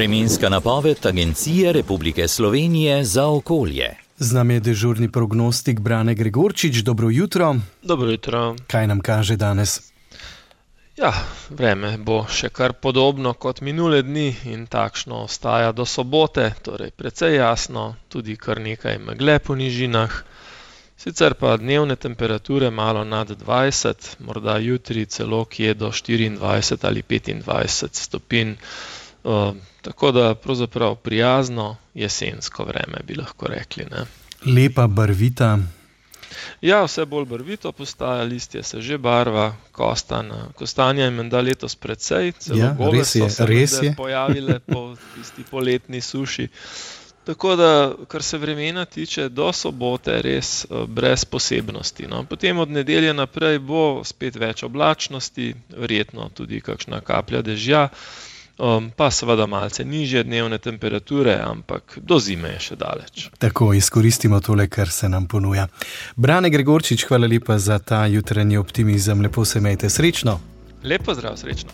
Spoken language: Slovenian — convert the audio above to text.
Vremenska napoved Agencije Republike Slovenije za okolje. Z nami je dežurni prognostik Brane Gregorčič. Dobro jutro. Dobro jutro. Kaj nam kaže danes? Ja, vreme bo še kar podobno kot minule dni in takšno ostaja do sobote, torej precej jasno, tudi kar nekaj megle po nižinah. Sicer pa dnevne temperature malo nad 20, morda jutri celo kje do 24 ali 25 stopinj. Tako da pravzaprav prijazno jesensko vreme, bi lahko rekli, ne. Lepa, barvita. Ja, vse bolj barvito postaja, listje se že barva, kostanja je menda letos precej, celo gobe so se pojavile po tisti poletni suši. Tako da, kar se vremena tiče, do sobote res brez posebnosti, no. Potem od nedelje naprej bo spet več oblačnosti, verjetno tudi kakšna kaplja dežja, pa seveda malce nižje dnevne temperature, ampak do zime je še daleč. Tako, izkoristimo tole, kar se nam ponuja. Brane Gregorčič, hvala lepa za ta jutranji optimizem. Lepo se imejte, srečno. Lep pozdrav, srečno.